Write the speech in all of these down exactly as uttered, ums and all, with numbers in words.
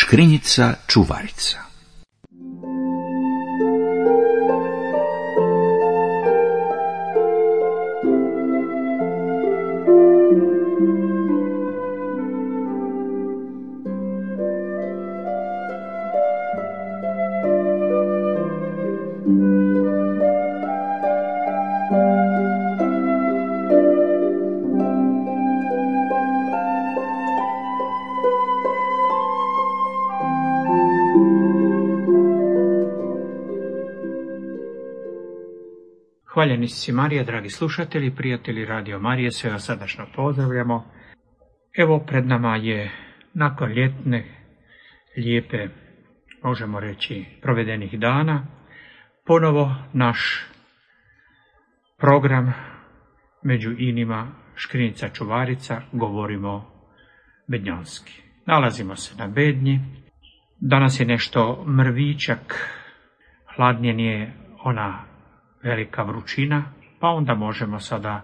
Škrinjica čuvarica. Hvaljeni si Marija, dragi slušatelji, prijatelji Radio Marije, sve vas srdačno pozdravljamo. Evo pred nama je nakon ljetne, lijepe, možemo reći, provedenih dana, ponovo naš program među inima Škrinjica čuvarica, govorimo bednjanski. Nalazimo se na Bednji, danas je nešto mrvičak, hladnije nije ona velika vrućina, pa onda možemo sada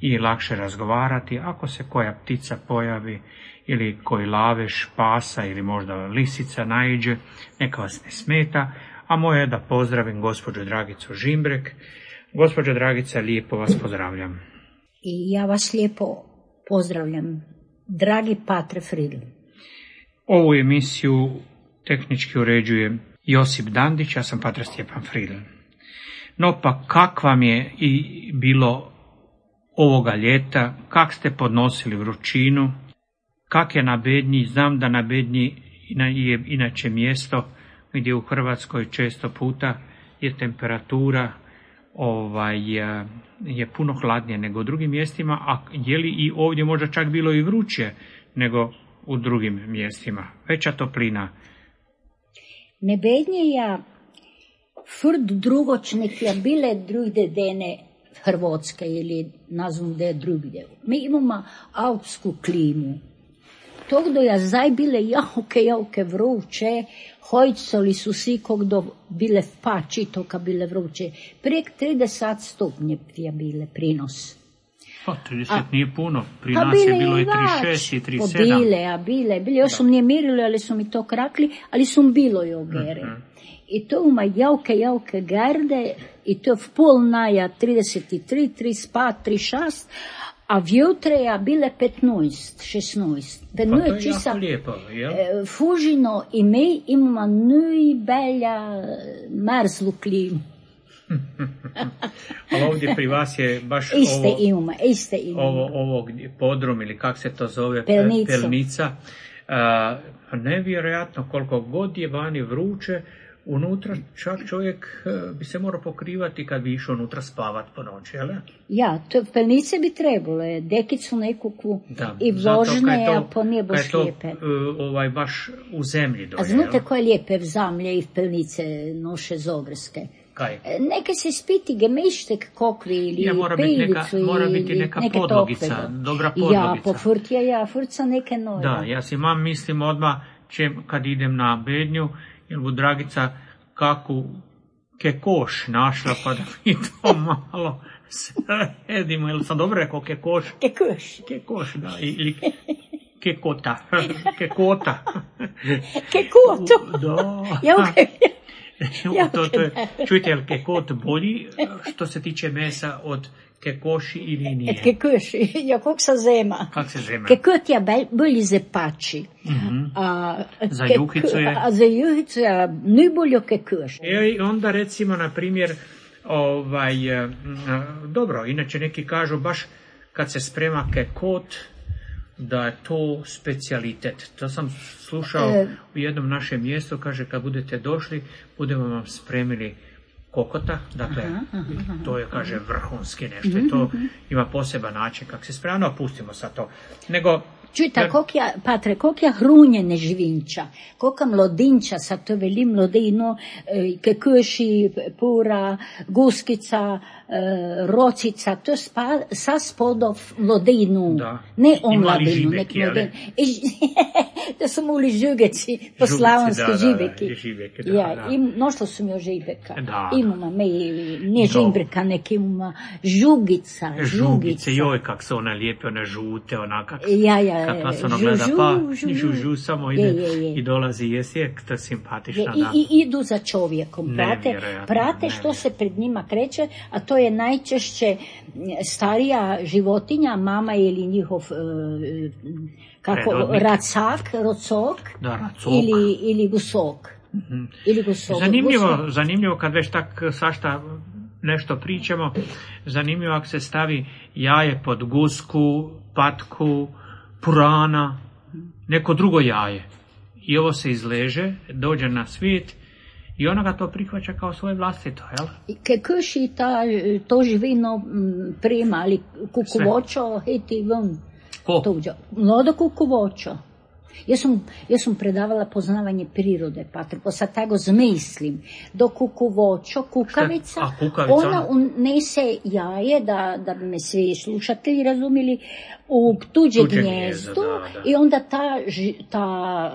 i lakše razgovarati. Ako se koja ptica pojavi ili koji lavež, pasa ili možda lisica naiđe, neka vas ne smeta, a moje je da pozdravim gospođu Dragicu Žimbrek. Gospođo Dragica, lijepo vas pozdravljam. I ja vas lijepo pozdravljam, dragi Patre Fridl. Ovu emisiju tehnički uređuje Josip Dandić, ja sam Patre Stjepan Fridl. No pa kak vam je i bilo ovoga ljeta, kak ste podnosili vrućinu, kak je na Bednji? Znam da na Bednji je inače mjesto gdje u Hrvatskoj često puta je temperatura ovaj, je puno hladnije nego u drugim mjestima, a je li i ovdje možda čak bilo i vruće nego u drugim mjestima? Veća toplina. Ne Bednje ja furt drugočnih je bile druge dene Hrvatske ili nazvom da je drugdje. Mi imamo alpsku klimu. Tog do ja zaj bile jauke, jauke vruće, hojcoli su si kog do bile v pači toka bile vruće. Prek trideset stupnje je bile prinos. Pa trideset a, nije puno, pri nas je bilo i trideset šest i trideset sedam. Pa bile, a bile, bile, još su nije mirili, ali su mi to krakli, ali su bilo i ogere. Uh-huh. I to ima jauke, jauke garde, i to v pol naja trideset tri, trideset pet, trideset šest, a vjutre je bile petnaest, šestnaest. Pa to je čisa, jako lijepo, jel? Fužino i mi imamo najbolja mrzlu klimu. Ali ovdje pri vas je baš iste ovo, ima, iste ima. ovo, ovo podrum ili kak se to zove, Pelnica. pelnica. Uh, nevjerojatno koliko god je vani vruće, unutra čak čovjek bi se morao pokrivati kad bi išao unutra spavat po noći, jel? Ja, to pelnice bi trebalo, dekicu nekukvu i vložne, a po nije baš lijepe. Uh, ovaj, baš u zemlji doje, a znate koje lijepe v zamlje i v pelnice noše zogrske? Kaj? Neke se spiti gemištek kokvi ili ja, mora pejlicu biti mora biti neka podlogica, topve. dobra podlogica. Ja, po furtija, ja, furca neke nove. Da, ja si mam mislim odmah, če, kad idem na Bednju, jer bu Dragica kaku kekoš našla, pa da mi to malo sredimo. Jel sam dobro rekao kekoš? Kekoš. Kekoš, da, ili kekota. Kekota. Kekoto? Da. Ja, okay. Ja, to, to je, čujte, je li kekot bolji što se tiče mesa od kekoši ili nije? Kekoši, ja, kak se zema. Kak se zema? Kekot je bolji za pači. Mm-hmm. A, za kek, juhicu je? A za juhicu je najbolje kekoš. I onda recimo, na primjer, ovaj, dobro, inače neki kažu baš kad se sprema kekot, da je to specijalitet. To sam slušao e, u jednom našem mjestu, kaže kad budete došli, budemo vam spremili kokota, dakle, aha, aha, to je, kaže, vrhunski nešto, mm-hmm. i to ima poseban način kako se spremno, no, pustimo sad to. Nego, čujte, jer... kak ja, Patre, kak ja hrunjene živinča, koka mlodinča, sad to veli mlodino, kekoši, pura, guskica, e, rocica, to je spa, sa spodov mlodinu, da. ne on Imali mladinu, žibeki, nek mlodinu. To su muli žugeci, po slavonski da, žibeki. Da, da, žibeki, da, ja, da. im, nošlo su mi o žibeka. Da. Imamo, me, nije žimbrika, nek imamo žugica, žugica. Žugice, joj, kak se ona lijepe, one žute, ona kak, ja, ja, kak vas ono žu, gleda, žu, pa žu, žu, žu, samo ide je, je, je. i dolazi, jesi je, to je simpatična, je, da. I, I idu za čovjekom, prate, Nevjerojatno, prate što se pred njima kreće, a to je najčešće starija životinja, mama ili njihov e, kako, Predvodnik. racak, rocok, Da, racok. ili, ili gusok. Mm-hmm. Ili gusok. Zanimljivo, Gusok. zanimljivo kad već tak svašta nešto pričamo, zanimljivo ako se stavi jaje pod gusku, patku, purana, neko drugo jaje. I ovo se izleže, dođe na svijet i ona ga to prihvaća kao svoje vlastito, jel? Ke krši ta, to živino prima, ali kukuvočo, heti ven. Ko? Mlado kukuvočo. Ja sam, ja sam predavala poznavanje prirode, Patr, pa sad tako zmislim. Do kukuvočo, kukavica, A, kukavica ona unese jaje, da, da bi me svi slušatelji razumili, u tuđe, tuđe gnjezdo, da, da. I onda ta, ta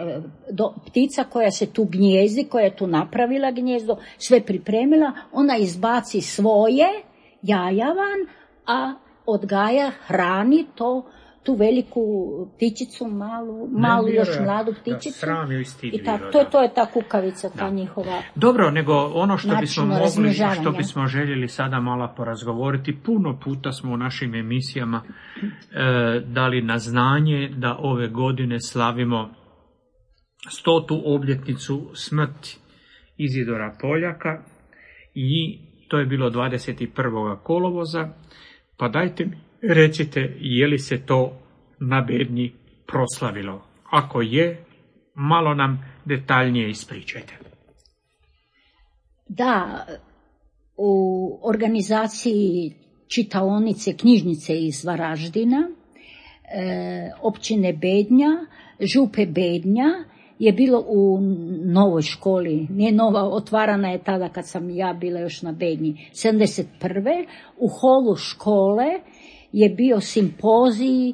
do, ptica koja se tu gnjezdi, koja je tu napravila gnjezdo, sve pripremila, ona izbaci svoje jaja van, a odgaja, hrani to, tu veliku ptičicu, malu, malu ne, još mladu ptičicu. Da, i tako, to, to je ta kukavica, ta da. njihova. Dobro, nego ono što bismo mogli, što bismo željeli sada malo porazgovoriti, puno puta smo u našim emisijama e, dali na znanje da ove godine slavimo stotu obljetnicu smrti Izidora Poljaka i to je bilo dvadeset prvog kolovoza, pa dajte mi recite, je li se to na Bednji proslavilo? Ako je, malo nam detaljnije ispričajte. Da, u organizaciji čitaonice, knjižnice iz Varaždina, e, općine Bednja, župe Bednja, je bilo u novoj školi, nije nova, otvarana je tada kad sam ja bila još na Bednji, sedamdeset prve u holu škole je bio simpozij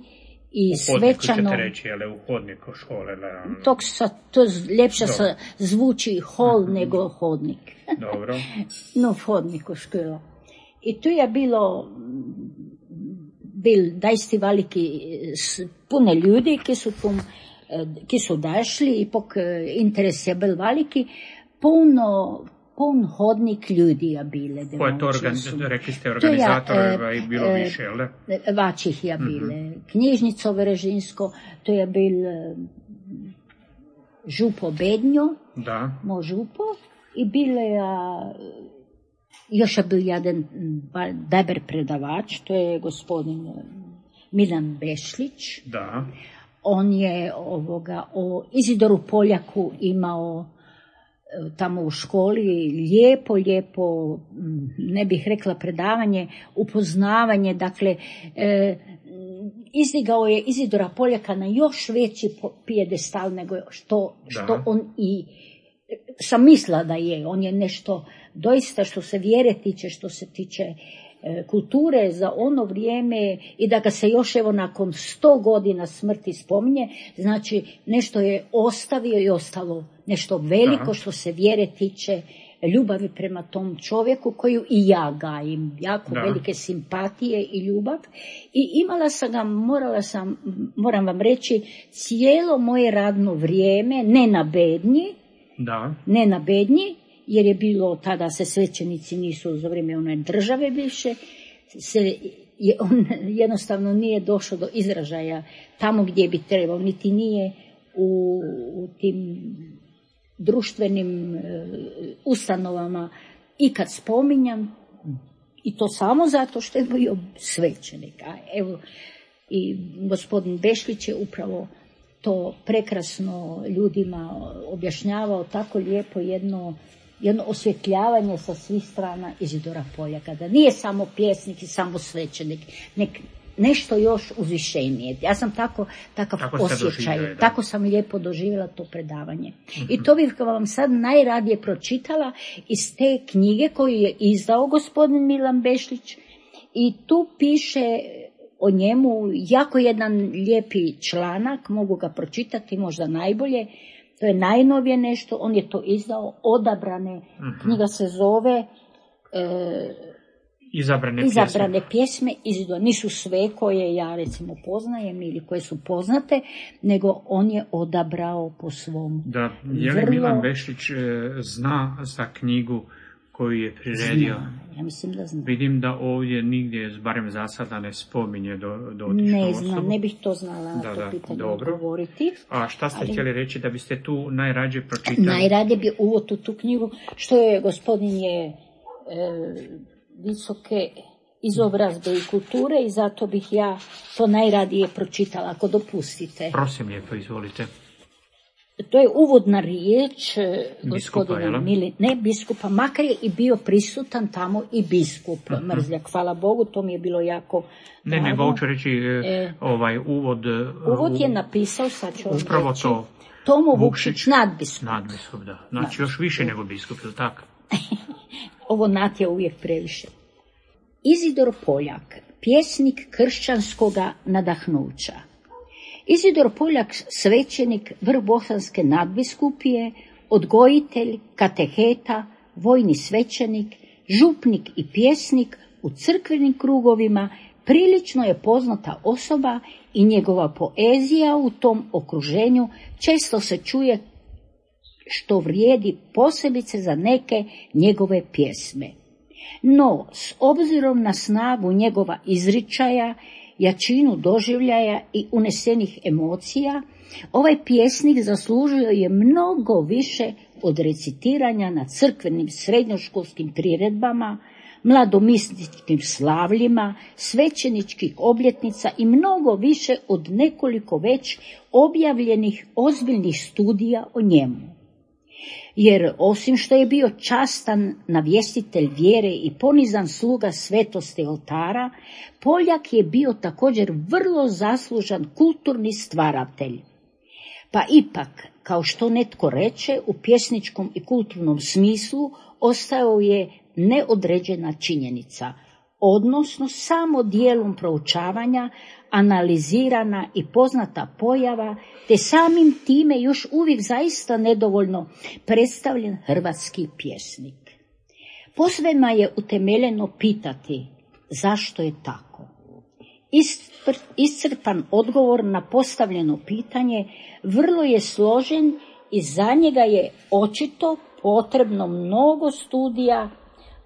i u svečano... U hodniku ćete reći, ali u hodniku škole. Da... Tok sa, to ljepše sa, zvuči hol mm-hmm. nego hodnik. Dobro. No, v hodniku škola. I tu je bilo bil dajsti veliki, puno ljudi, ki su, tu, ki su dašli, i pok interes je bil veliki, puno pun hodnik ljudi je bile. Ko je to, organ, rekli ste, organizator je e, bilo e, više, jel da? Vačih je bile. Mm-hmm. Knjižnico Verežinsko, to je bil župo Bednjo, da. Mo župo, i bile je, još je bil jedan dober predavač, to je gospodin Milan Bešlić. Da. On je ovoga, o Izidoru Poljaku imao tamo u školi lijepo, lijepo, ne bih rekla predavanje, upoznavanje, dakle, e, izdigao je Izidora Poljaka na još veći pijedestal nego što, što on i sam mislila da je. On je nešto doista što se vjere tiče, što se tiče e, kulture za ono vrijeme i da ga se još evo nakon sto godina smrti spominje, znači nešto je ostavio i ostalo nešto veliko. Aha. Što se vjere tiče, ljubavi prema tom čovjeku koju i ja gajim, jako da. Velike simpatije i ljubav. I imala sam ga, morala sam, moram vam reći, cijelo moje radno vrijeme, ne na Bednji, da. ne na Bednji, jer je bilo, tada se svećenici nisu za vrijeme one države više, se, je, on jednostavno nije došao do izražaja tamo gdje bi trebao, niti nije u, u tim društvenim e, ustanovama ikad spominjan, i to samo zato što je bio svećenik. A evo, i gospodin Bešlić je upravo to prekrasno ljudima objašnjavao, tako lijepo jedno, jedno osvjetljavanje sa svih strana Izidora Poljaka, da nije samo pjesnik i samo svećenik, nek nešto još uzvišenije. Ja sam tako, takav tako osjećaj, tako sam lijepo doživjela to predavanje. Mm-hmm. I to bih vam sad najradije pročitala iz te knjige koju je izdao gospodin Milan Bešlić i tu piše o njemu jako jedan lijepi članak, mogu ga pročitati možda najbolje, to je najnovije nešto, on je to izdao, Odabrane, mm-hmm. knjiga se zove e, Izabrane, Izabrane pjesme. pjesme, izdao. Nisu sve koje ja recimo poznajem ili koje su poznate, nego on je odabrao po svom. Da, je li vrlo... Milan Bešlić e, zna za knjigu koju je priredio? Zna, ja mislim da zna. Vidim da ovdje nigdje, barem za sada, ne spominje do, do Ne znam, ne bih to znala na da, to da, pitanje dobro. odgovoriti. A šta ste ali... htjeli reći da biste tu najrađe pročitali? Najrađe bi uvod u tu knjigu, što je gospodin je... E, visoke izobrazbe i kulture i zato bih ja to najradije pročitala, ako dopustite. Prosim lijepo, izvolite. To je uvodna riječ biskupa, gospodina Mili, ne biskupa, makar je i bio prisutan tamo i biskup uh-huh. Mrzljak, hvala Bogu, to mi je bilo jako Ne, drago. nego hoću reći e, ovaj uvod. Uvod je napisao, sad ću upravo reći, to. Tomo Vukšić, nadbiskup. Nadbiskup, da. Znači još više nego biskup, je li tako? Ovo nat je uvijek previše. Izidor Poljak, pjesnik kršćanskoga nadahnuća. Izidor Poljak, svećenik vrbosanske nadbiskupije, odgojitelj, kateheta, vojni svećenik, župnik i pjesnik u crkvenim krugovima, prilično je poznata osoba i njegova poezija u tom okruženju često se čuje, što vrijedi posebice za neke njegove pjesme. No, s obzirom na snagu njegova izričaja, jačinu doživljaja i unesenih emocija, ovaj pjesnik zaslužio je mnogo više od recitiranja na crkvenim srednjoškolskim priredbama, mladomisničkim slavljima, svećeničkih obljetnica i mnogo više od nekoliko već objavljenih ozbiljnih studija o njemu. Jer osim što je bio častan navjestitelj vjere i ponizan sluga svetosti oltara, Poljak je bio također vrlo zaslužan kulturni stvaratelj. Pa ipak, kao što netko reče, u pjesničkom i kulturnom smislu ostao je neodređena činjenica, odnosno samo dijelom proučavanja, analizirana i poznata pojava, te samim time još uvijek zaista nedovoljno predstavljen hrvatski pjesnik. Posvema je utemeljeno pitati zašto je tako. Iscrpan odgovor na postavljeno pitanje vrlo je složen i za njega je očito potrebno mnogo studija,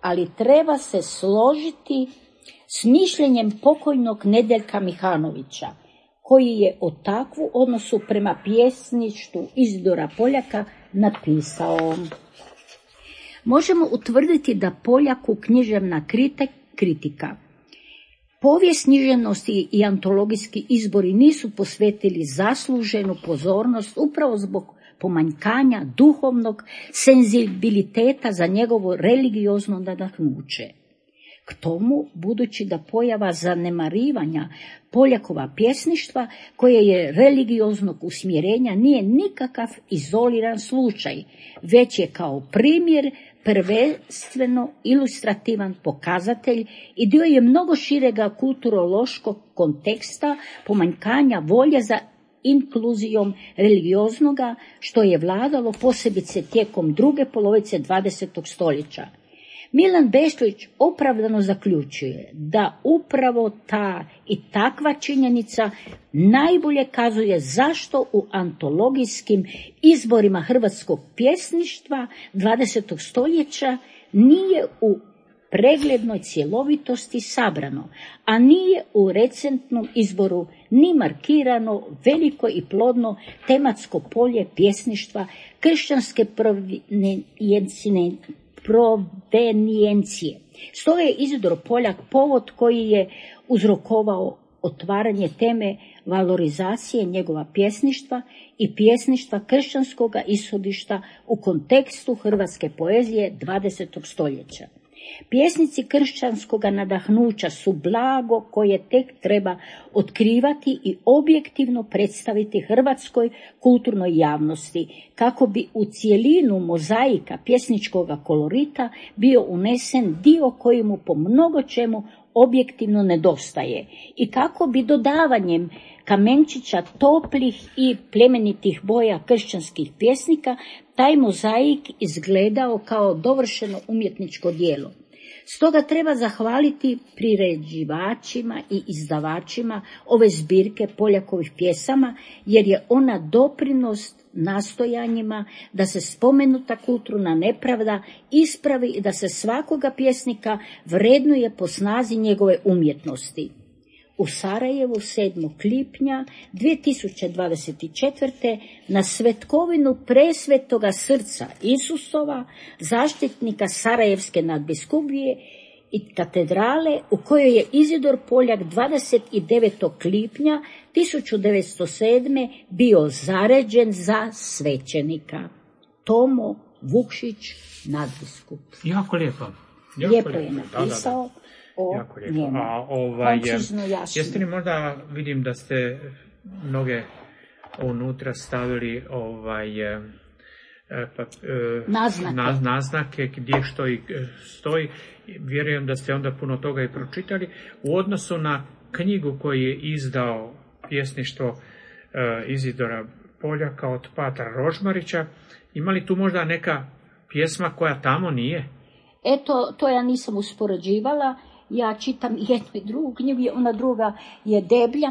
ali treba se složiti s mišljenjem pokojnog Nedeljka Mihanovića, koji je o takvu odnosu prema pjesništvu Izidora Poljaka napisao. Možemo utvrditi da Poljaku književna kritika, povijest književnosti i antologijski izbori nisu posvetili zasluženu pozornost upravo zbog pomanjkanja duhovnog senzibiliteta za njegovo religiozno nadahnuće. K tomu, budući da pojava zanemarivanja Poljakova pjesništva, koje je religioznog usmjerenja, nije nikakav izoliran slučaj, već je kao primjer prvenstveno ilustrativan pokazatelj i dio je mnogo širega kulturološkog konteksta pomanjkanja volje za inkluzijom religioznoga, što je vladalo posebice tijekom druge polovice dvadesetog stoljeća. Milan Bešlić opravdano zaključuje da upravo ta i takva činjenica najbolje kazuje zašto u antologijskim izborima hrvatskog pjesništva dvadesetog stoljeća nije u preglednoj cjelovitosti sabrano, a nije u recentnom izboru ni markirano veliko i plodno tematsko polje pjesništva kršćanske provenijencije. Stoga je Izidor Poljak povod koji je uzrokovao otvaranje teme valorizacije njegova pjesništva i pjesništva kršćanskoga ishodišta u kontekstu hrvatske poezije dvadesetog stoljeća. Pjesnici kršćanskoga nadahnuća su blago koje tek treba otkrivati i objektivno predstaviti hrvatskoj kulturnoj javnosti, kako bi u cijelinu mozaika pjesničkoga kolorita bio unesen dio koji mu po mnogo čemu objektivno nedostaje i kako bi dodavanjem kamenčića toplih i plemenitih boja kršćanskih pjesnika taj mozaik izgledao kao dovršeno umjetničko djelo. Stoga treba zahvaliti priređivačima i izdavačima ove zbirke Poljakovih pjesama, jer je ona doprinos nastojanjima da se spomenuta kulturna nepravda ispravi i da se svakoga pjesnika vrednuje po snazi njegove umjetnosti. U Sarajevu sedmog lipnja dvije tisuće dvadeset četvrte. na svetkovinu presvetoga srca Isusova, zaštitnika Sarajevske nadbiskupije i katedrale, u kojoj je Izidor Poljak dvadeset devetog lipnja tisuću devetsto sedme. bio zaređen za svećenika. Tomo Vukšić, nadbiskup. Jako lijepo. Jako lijepo je napisao. Da, da, da. O jako lijepo. Njemu. A ovaj, Koncizno, jasno. jeste li možda, vidim da ste mnoge unutra stavili ovaj, e, pa, e, naznake. Na, naznake gdje što i stoji. Vjerujem da ste onda puno toga i pročitali. U odnosu na knjigu koju je izdao pjesništvo e, Izidora Poljaka od Patra Rožmarića, ima li tu možda neka pjesma koja tamo nije? Eto, to ja nisam uspoređivala. Ja čitam jednu i drugu knjigu, ona druga je deblja,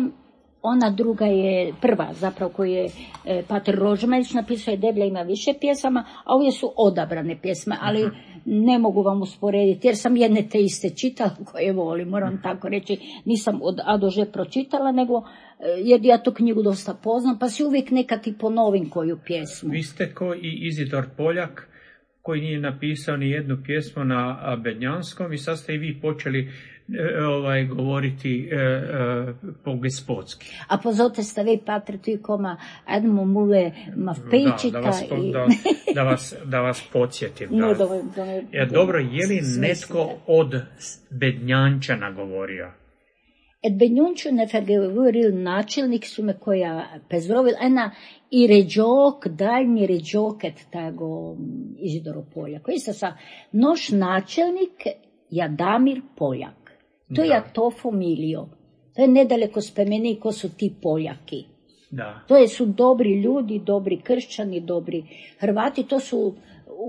ona druga je prva, zapravo koju je e, Pater Rožmarić napisao, je deblja, ima više pjesama, a ovdje su odabrane pjesme, ali uh-huh. ne mogu vam usporediti, jer sam jedne te iste čitala koje volim, moram uh-huh. tako reći, nisam od A do Ž pročitala, nego jer ja tu knjigu dosta poznam, pa si uvijek nekad i ponovim koju pjesmu. Vi ste ko i Izidor Poljak, koji nije napisao ni jednu pjesmu na bednjanskom, i sad ste i vi počeli e, ovaj, govoriti e, e, po gospodski. A pozovite ste vi, Patre, tu koma Edmo Mule Mavpejčika. Da, da, vas, i... da, da, vas, da vas podsjetim. Da. No, da, da, da, ja, dobro, je li netko od bednjančana govorio? Et Benjunčune vergevoril načelnik su me koja pezrovil, ena i ređok, daljnji ređoket tego Izidoro Poljak. Isto sa noš načelnik Jadamir Poljak. To je to familijo. To je nedaleko spomeni ko su ti Poljaki. Da. To je su dobri ljudi, dobri kršćani, dobri Hrvati, to su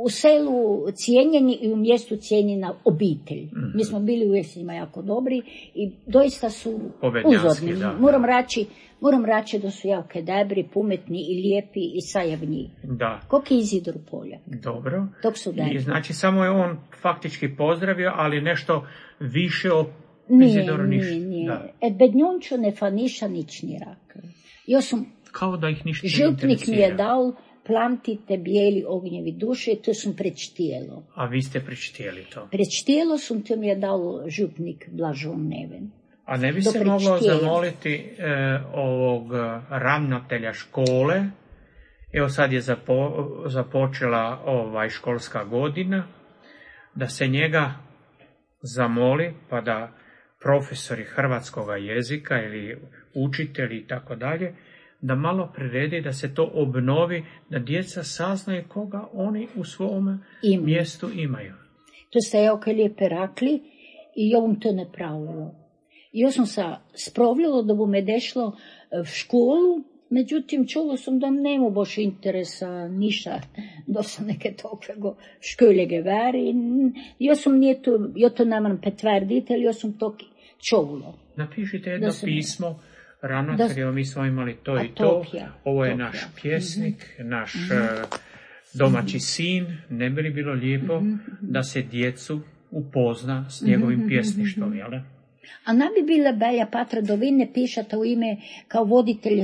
u selu cijenjeni i u mjestu cijenjena obitelj. Mm-hmm. Mi smo bili uvijek s njima jako dobri i doista su uzorni. Da, moram da. reći, moram reći da su jako dobri, pametni i lijepi i sajavni. Da. Kok je Izidor Poljak. Dobro. Tok su I znači samo je on faktički pozdravio, ali nešto više o nije, Izidoru ništa. Nije, nije. Da. E, bednjonču ne fa niša nič ni rak. Ja sam, kao da ih ništa župnik mi je dao plantite bijeli ognjevi duše, to sam prečtijelo. A vi ste prečtijeli to? Prečtijelo sam, to mi je dao župnik Blažon Neven. A ne bi se moglo zamoliti e, ovog ravnatelja škole, evo sad je zapo, započela ovaj školska godina, da se njega zamoli, pa da profesori hrvatskoga jezika ili učitelji i tako dalje, da malo priredi, da se to obnovi, da djeca saznaju koga oni u svom Ima. mjestu imaju. To ste jako lijepe rakli i ja vam to ne pravilo. Ja sam se spravljala da bo me dešlo v školu, međutim čulo sam da nema baš interesa niša, da sam neke tokvego školege vari. Ja sam nije to, ja to nemam potvrditi, ali ja sam to čulo. Napišite jedno pismo ravnatelju, mi smo imali to i to, ovo je naš pjesnik, naš mm-hmm. domaći sin, ne bi li bilo lijepo mm-hmm. da se djecu upozna s njegovim mm-hmm. pjesništvom, jel da? A ne bi bila Belja Patra da vi ne pišete u ime kao voditelj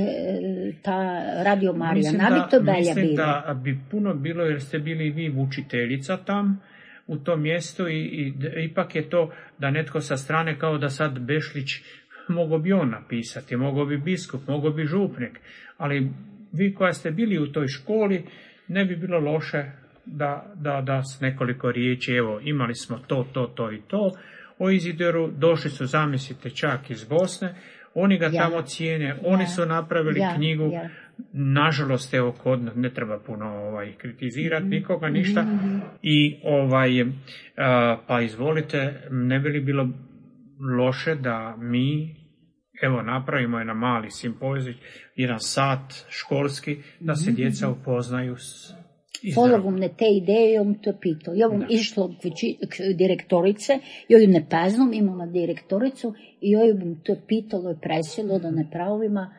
ta Radio Marija, ne bi to Belja mislim bila? Da bi puno bilo, jer ste bili vi učiteljica tam u tom mjestu i, i ipak je to da netko sa strane kao da sad Bešlić mogao bi on napisati, mogao bi biskup, mogao bi župnik, ali vi koja ste bili u toj školi, ne bi bilo loše da, da, da s nekoliko riječi, evo, imali smo to, to, to i to, o Izidoru, došli su, zamislite, čak iz Bosne, oni ga ja. tamo cijene, ja. oni su napravili ja. knjigu, ja. nažalost, evo, kod ne treba puno ovaj, kritizirati nikoga, ništa, mm-hmm. i ovaj, uh, pa izvolite, ne bi li bilo loše da mi, evo, napravimo jedan mali simpozij, jedan sat školski, da se djeca upoznaju s Followom ne te ideje, on to pitao. Ja bom išlo k direktorice, joj ne paznom, imala direktoricu, i joj bom to pitalo i presilo da ne pravima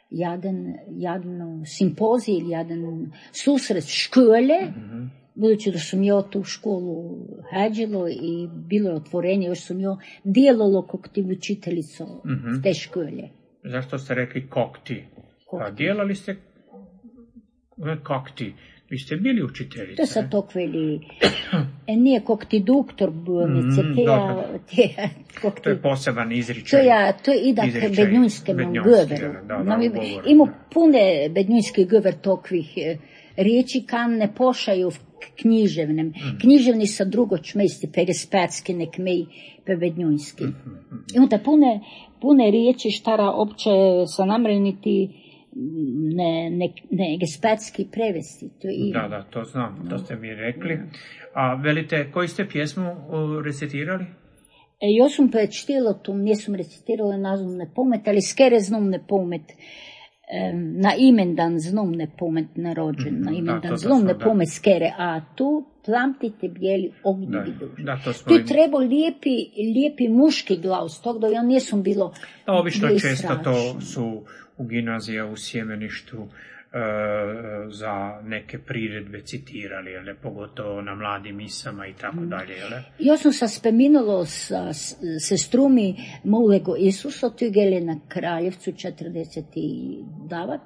jadan, jadno simpozij ili jadan susret škole, mm-hmm. budući da sam ja tu školu hađilo i bilo je otvorenje, još sam ja dijelalo kog ti učiteljico mm-hmm. te škole. Zašto ste rekli kokti? Pa dijelali ste kokti. Vi ste bili učiteljica. To sad to kveli, e, nije kog ti doktor bolnice, mm, te ja, te, kog to je poseban izričaj. To ja, to je idak bednjunske goveru. Ima pune bednjunskih gover tokvih riječi, kan ne pošaju književnem. Mm. Književni sa drugočmejsti, pegespatski nek mej pe bednjunski. Mm, mm, Ima ta pune, pune riječi štara opće sa namreniti ne, ne, ne gespatski prevesti. To je da, da, to znam, to ste mi rekli. A velite, koju ste pjesmu uh, recitirali? E, ja sam prečtila tu, nisam recitirala nazvom ne pomet, ali skere znam ne pomet. E, na imendan znam ne pomet narođen, mm, na imendan znam ne pomet skere, a tu plamtite bijeli ognjevi duši. Tu je treba lijepi, lijepi muški glas, tog da ja nisam bilo... Da, obično često to su u gimnazija u Sjemeništu e, za neke priredbe citirali, ali pogotovo na mladim misama i tako dalje. Ja sam se spominjala sa sestrumi Mulego Isusa, tu je na Kraljevcu četrdeset devet,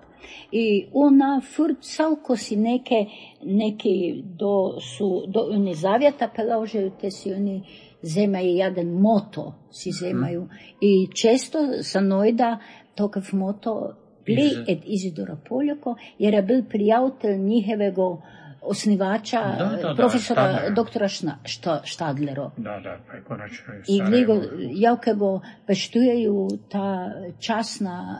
i ona furcalko si neke, neki do, su, do oni zavjeta peložaju, te si oni zemaju jedan moto si zemaju. Hmm. I često sa nojda tokav moto bili ed Izidora Poljako, jer je bil prijatelj njihovega osnivača, da, da, profesora, da, doktora Štadlero. Da, da, pa je konačno i Sarajevo. I javke go peštujeju ta časna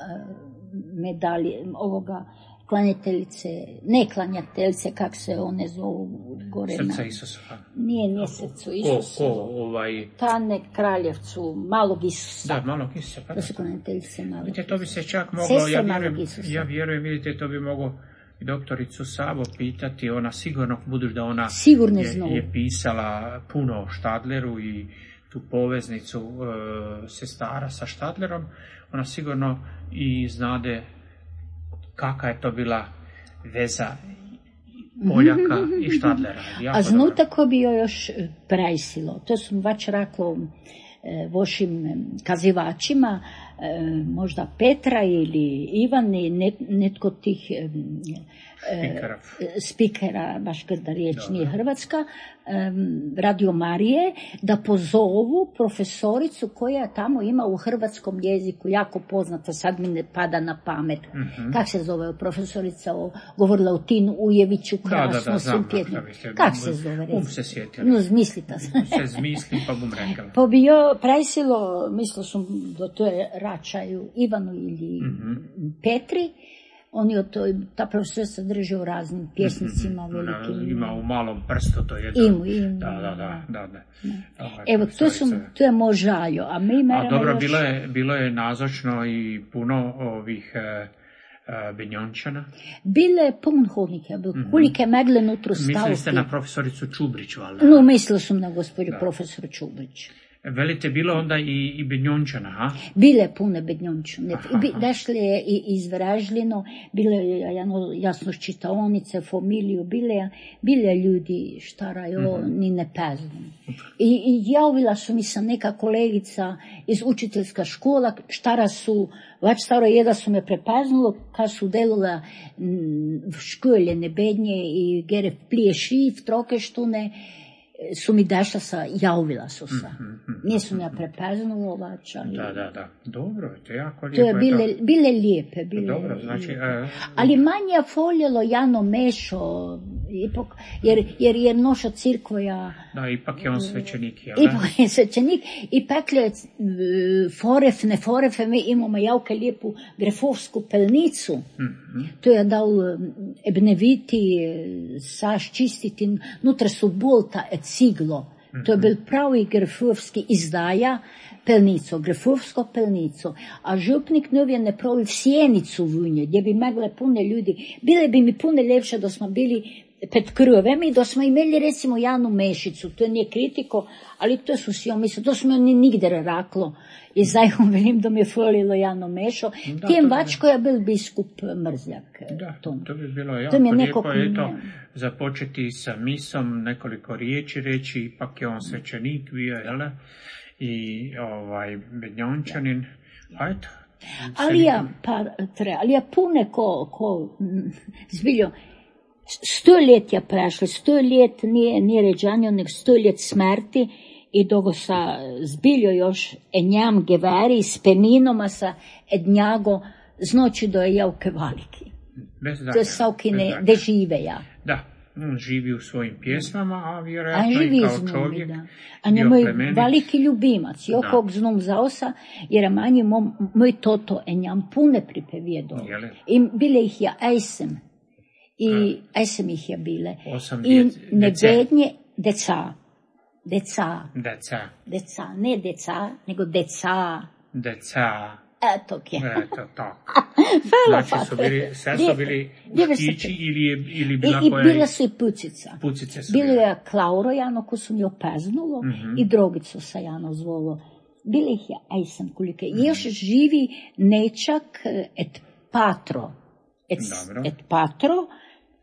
medalje ovoga klanjateljice, ne klanjateljice, kak se one zovu gore na... Srca Isusa. Nije, nije srcu Isusa. Ko, ko, ovaj... Ta ne Kraljevcu, malog Isusa. Da, malog Isusa. Pa to su klanjateljice malog Isusa. Vidite, to bi se čak moglo, ja vjerujem, ja vjerujem, vidite, to bi moglo i doktoricu Sabo pitati, ona sigurno, budući da ona je, je pisala puno o Štadleru i tu poveznicu e, sestara sa Štadlerom, ona sigurno i znade kakva je to bila veza Poljaka i Štadlera. A znu tako bi joj još prajsilo. To sam vač rekla e, vašim kazivačima, e, možda Petra ili Ivan i net, netko tih e, Spikera. spikera, baš kada riječ nije hrvatska, Radio Marije, da pozovu profesoricu koja tamo ima u hrvatskom jeziku, jako poznata, sad mi ne pada na pamet. Mm-hmm. Kak se zove profesorica, o, govorila o Tinu Ujeviću, krasno, da, da, da, znam, kak se zove? Um se sjetili. No, zmislita se. se zmislim, pa bom rekla. Pa bi jo prajsilo, mislila sam da to je račaju Ivanu ili mm-hmm. Petri. Oni od toj, ta profesorica drži u raznim pjesnicima mm-hmm. velikim. Ima u malom prstu, to je to. Imu, imu. Da, da, da. da, da. Ovaj, evo, to, su, to je moj žaljo. A, mi a dobro, još... bilo, je, bilo je nazočno i puno ovih e, e, Benjončana. Bile je pun hodnika, mm-hmm. kolike megle nutru stavke. Mislili ste na profesoricu Čubrić, valjda? No, mislila sam na gospođu profesor Čubrić. Velite, bilo onda i, i Bednjončana, ha? Bile pune Bednjončane. Dešli je i izvražljeno, bile je jasno čitaonice, familiju, bile, bile ljudi štaraju, mm-hmm. ni ne peznam. I, I javila su mi se neka kolegica iz učiteljska škola, štara su, vač staro je da su me prepaznalo, kad su delala v škole nebednje i gere plije šif, troke štune, su mi dašla sa, javila su se. Mm-hmm. Nisu me prepaznalo, vač, ali... Da, da, da. Dobro, to je jako lijepo. To je bile, bile lijepe. Bile dobro, znači... lijepe. Uh, ali manje voljelo Jano Mešo, Ipak, jer, jer je noša cirkvoja... Da, ipak je on svećenik, jel? Ipak je svećenik i peklje foref, ne forefe, mi imamo jako lijepu grefovsku pelnicu. Mm-hmm. To je dal ebneviti, saš čistiti, nutra su bolta et ciglo. Mm-hmm. To je bil pravi grefovski izdaja, pelnico, grefovsko pelnico, a župnik nov je napravil sjenicu v nje, gdje bi mogle pune ljudi. Bile bi mi pune ljepše da smo bili pred krvem i da smo imeli recimo Janu Mešicu, to nije kritiko, ali to su si on misli, to smo oni nigde raklo. I zdaj velim da mi je falilo Jano Mešo, da, tem vačko je bil biskup Mrzljak. Da, to, to bi bilo jako lijepo, nekog... eto, započeti sa misom, nekoliko riječi reći, ipak je on svećenik bio, jel? I ovaj Bednjončanin, a eto. Ali ja, pa, tre, ali ja pune ko, ko zbiljo, sto let je prešlo, sto let nije, nije ređanjo, nek sto let smrti i dogo sa zbiljo još enjam geveri s peminoma sa ednjago znoći do je javke valiki. Bez danja. To je savkine, de žive ja. Da. On živi u svojim pjesmama, a vjerojatno i kao čovjek. Da. A je moj veliki ljubimac. Jo kog znam zaosa, jer manji moj toto enjam pune pripevjedo. I bile ih ja ejsem. I ejsem ih je bile. I nebednje deca. Deca. Deca. Deca. Ne deca, nego deca. Deca. Eto kje. Eto tako. Znači su bili, sve su bili štići ili, je, ili bila I, koja... I bila su i pucica. Pucice su bilo bile. Je Klauro Jano, ko su mi opeznulo, mm-hmm. i Drogico sa Jano zvolo. Bili ih ja, aj sam kolike. Mm-hmm. Još živi nečak et patro. Et, et patro,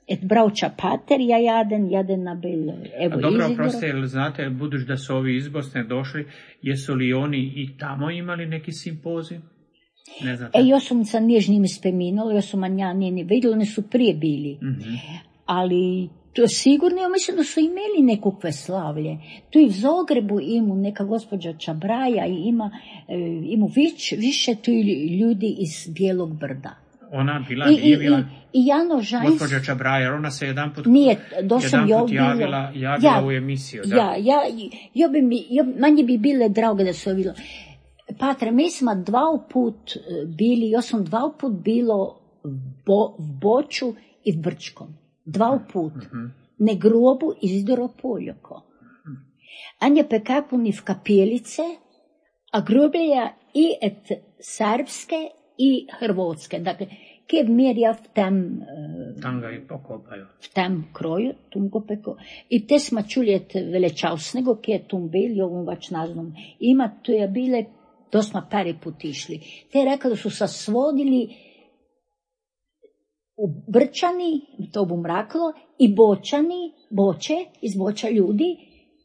et brauča pater, ja jaden, jaden na bil, evo A dobro, Izidoro. proste, jer znate, budući da su ovi iz Bosne došli, jesu li oni i tamo imali neki simpozij? Ne znate. E, još sam sa nježnim speminala, još sam ja njeni vidjela, oni su prije bili. Mm-hmm. Ali to sigurno, ja mislim da su imeli nekakve slavlje. Tu i v Zagrebu ima neka gospođa Čabraja i ima, e, ima vić, više tu ljudi iz Bijelog brda. Ona bila, I, nije bila... I, i Jano Žajs... Gospođa Čabraja, ona se jedan put, nije, jedan put javila, javila ja, u emisiju. Da. Ja, ja, ja bi mi, ja, manje bi bile drage da su bilo... Patre, mi smo dva put bili, ja sam dva put bilo bo, v Boču i v Brčkom. Dva put. Mm-hmm. Ne grobu Izidoro Poljoko. Anje pekapuni v kapelice, a groblja i et srpske i hrvatske. Dakle, kje mirja v tem... Tam ga i pokopaju. V tem kroju, tum go peko. I te smo čuli et velečasnego, kje je tum bil, jo vam vač naznom. Ima, to je bile... To smo pari put išli. Te je rekao da su se svodili u Brčani, to bu mraklo, i Bočani, Boče, iz Boča ljudi,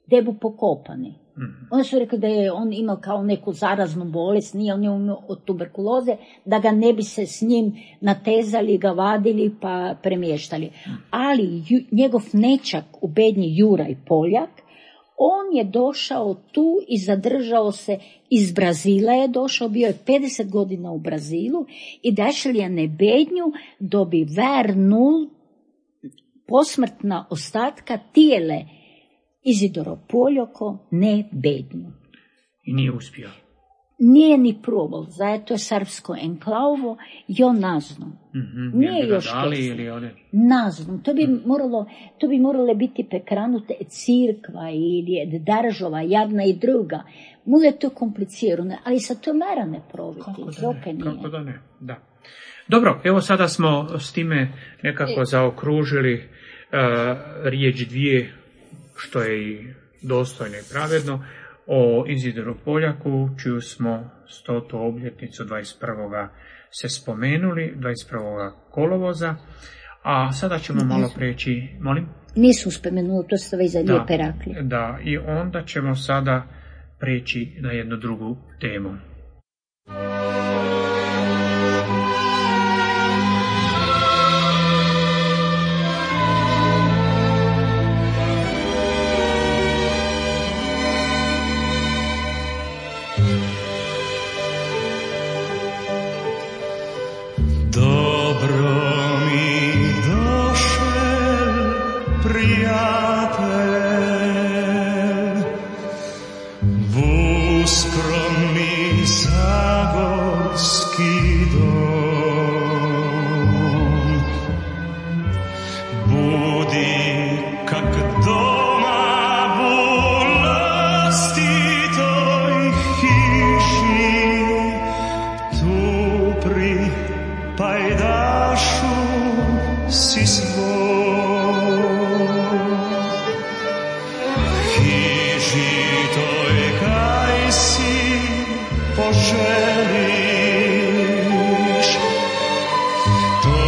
gdje bu pokopani. Mm-hmm. Oni su rekli da je on imao kao neku zaraznu bolest, nije on imao od tuberkuloze, da ga ne bi se s njim natezali, ga vadili pa premještali. Mm-hmm. Ali ju, njegov nečak u Bednji Juraj Poljak, on je došao tu i zadržao se, iz Brazila je došao, bio je pedeset godina u Brazilu i dešel je na Bednju, da bi vernul posmrtna ostatka tijele Izidoro Poljoko ne Bednju. I nije uspio. Nije ni probal, zato je srpsko enklavo, jo nazno. Mm-hmm. Nije još nazno. To bi moralo, to bi morale biti pekranute cirkva ili država, jedna i druga. Mule to komplicirano, ali sa to mera ne proviti. Kako da ne, kako da ne, da. Dobro, evo sada smo s time nekako e. zaokružili uh, riječ dvije, što je i dostojno i pravedno, o Izidoru Poljaku, čiju smo stotu obljetnicu dvadeset prvog se spomenuli, dvadeset prvog kolovoza, a sada ćemo Nisu. malo preći, molim? Nisu spomenuli, to ste već za lijepe rakli. Da, i onda ćemo sada preći na jednu drugu temu. prijatelj, vu skromni zagorski dom. Budi kak doma vu vlastitoj hiši, tu pri pajdašu si svoj. Hiži toj kaj si poželiš, to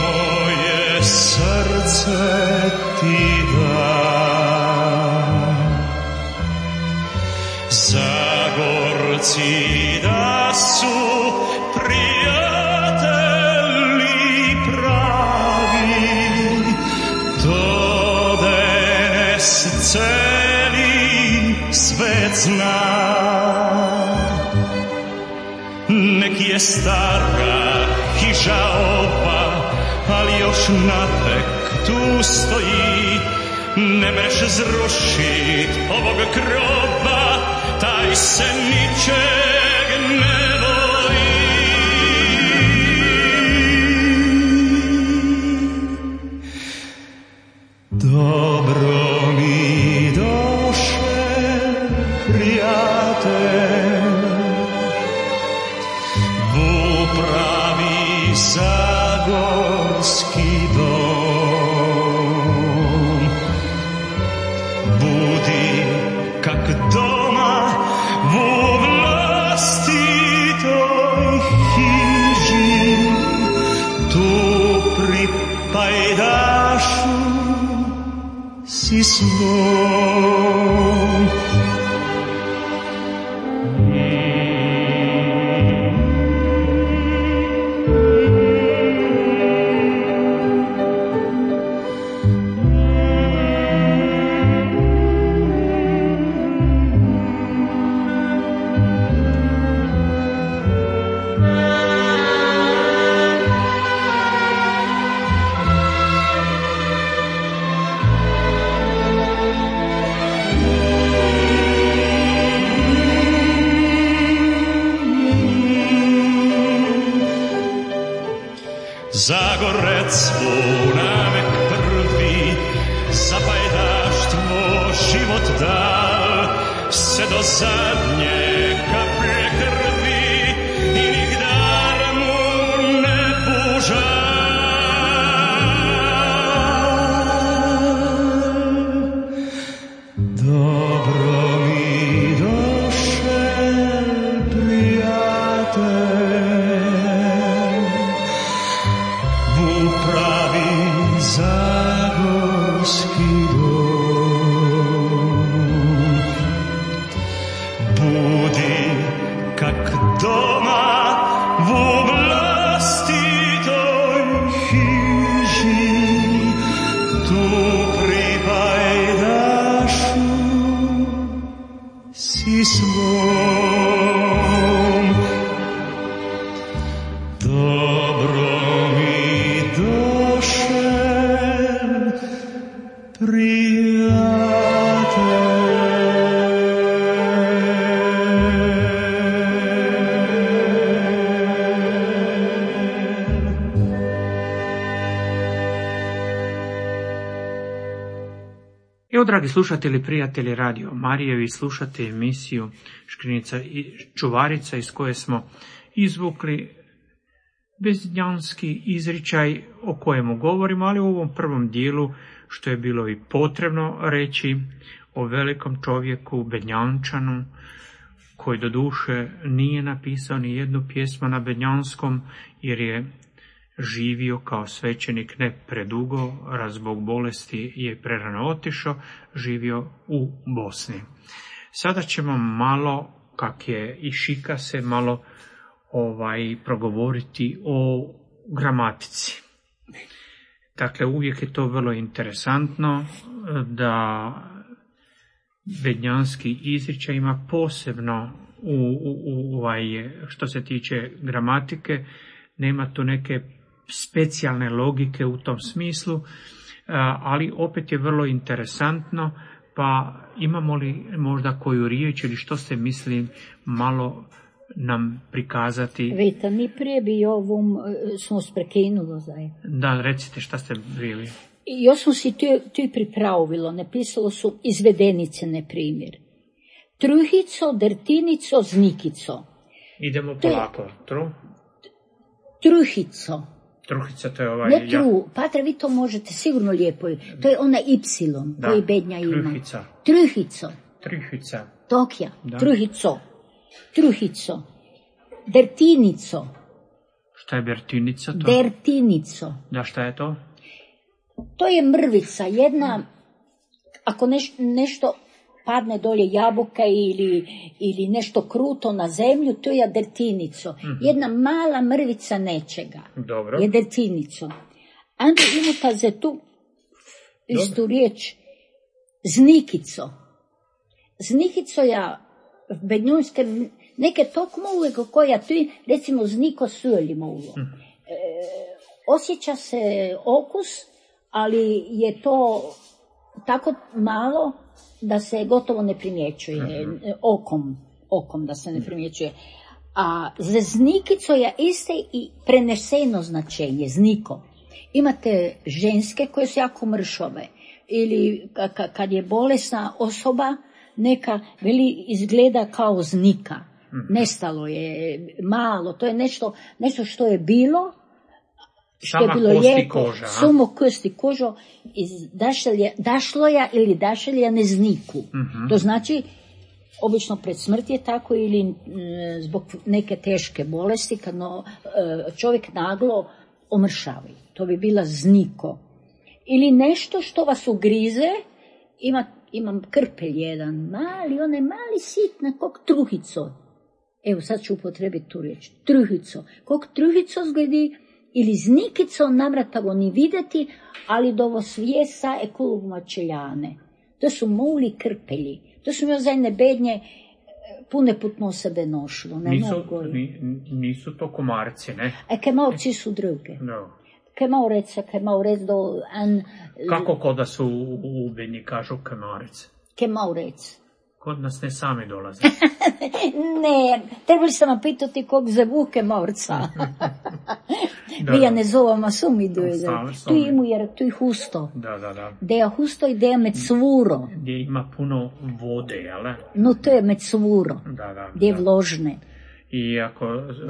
moje srce ti da. Zagorci da su prijatelji pravi, to danes celi svet zna. Nek je stara hiža ova, ali još napek tu stoji. Ne mreš zrušit ovog groba, taj se ničeg ne boji. Dobro mi doše, prijatelj, vu pravi zagorski dom. Budi kak doma vu vlastitoj hiži, tu pri pajdašu si svom. Zagorec mu navek prvi, za pajdaštvo život dal, se do zadnje kaplje krvi i nigdar mu ne pužal. Dobro mi doše, prijatelj, vu pravi zagorski dom. Budi kak doma vu vlastitoj hiži, tu pri pajdašu si svom. Dobro mi doše, Evo, dragi slušatelji, prijatelji Radio Marije, vi slušate emisiju Škrinjica i čuvarica, iz koje smo izvukli bezdjanski izričaj o kojemu govorimo, ali u ovom prvom dijelu, što je bilo i potrebno reći, o velikom čovjeku, Bednjančanu, koji do duše nije napisao ni jednu pjesmu na bednjanskom, jer je živio kao svećenik ne predugo, raz zbog bolesti je prerano otišao, živio u Bosni. Sada ćemo malo, kak je i šika se, malo ovaj progovoriti o gramatici. Dakle, uvijek je to vrlo interesantno da bednjanski izričaj ima posebno u, u, u, ovaj, što se tiče gramatike, nema tu neke specijalne logike u tom smislu, ali opet je vrlo interesantno, pa imamo li možda koju riječ ili što ste mislili malo nam prikazati? Vidite, mi prije bi ovom smo sprekinuli zajedno. Da, recite šta ste bili. I još smo si tu, tu pripravilo, napisalo su izvedenice, na primjer. Truhico, drtinico, znikico. Idemo polako. Tru? Truhico. Truhica, to je ovaj... Ne tru, Patre, vi to možete sigurno lijepo. To je ona Y da, koji bednja ima. truhica. Truhico. Truhica. Tokja. Da. Truhico. Truhico. Dertinico. Šta je bertinica to? Dertinico. Da, šta je to? To je mrvica, jedna, ako neš, nešto padne dolje jabuka ili, ili nešto kruto na zemlju, to je dertinico. Mm-hmm. Jedna mala mrvica nečega. Dobro. Je dertinico. Onda imate za tu istu riječ znikico. Znikico ja bednjunske neke tok mogu koja tu, recimo zniko suli mogu. Mm-hmm. E, osjeća se okus, ali je to tako malo da se gotovo ne primjećuje, uh-huh. okom, okom da se ne primjećuje. A za znikico je iste i preneseno značenje, zniko. Imate ženske koje su jako mršove, ili kad je bolesna osoba, neka veli izgleda kao znika. Uh-huh. Nestalo je, malo, to je nešto, nešto što je bilo, što je bilo lijepo, samo kosti kožo iz dašelja, dašloja ili dašelja nezniku. Uh-huh. To znači, obično pred smrt je tako ili m, zbog neke teške bolesti, kad no, čovjek naglo omršavi. To bi bila zniko. Ili nešto što vas ugrize, ima, imam krpelj jedan, mali, onaj mali sitna, kog truhico. Evo sad ću upotrebiti tu riječ. Truhico. Kog truhico zgledi, ili znikico namratavo ni vidjeti, ali dovo svijesa e kulubma čeljane. To su muli krpelji. To su mi ozajne bednje pune putno sebe nošlo. Ne nisu, ni, nisu to komarci, ne? E kemarci su druge. No. Kemaurec, kemaurec do... An, Kako kod da su u bednji kažu kemarec? Kemaurec. Kod nas ne sami dolaze. Ne, trebali ste vam pitati kog zovu Kemaurca. Vi ja ne zovem, a sum idu. Tu imu, jer tu je husto. Da, da, da. Da je husto i da je mecvuro. Gdje ima puno vode, jel? No, to je mecvuro. Da, da. Gdje je vložne. I ako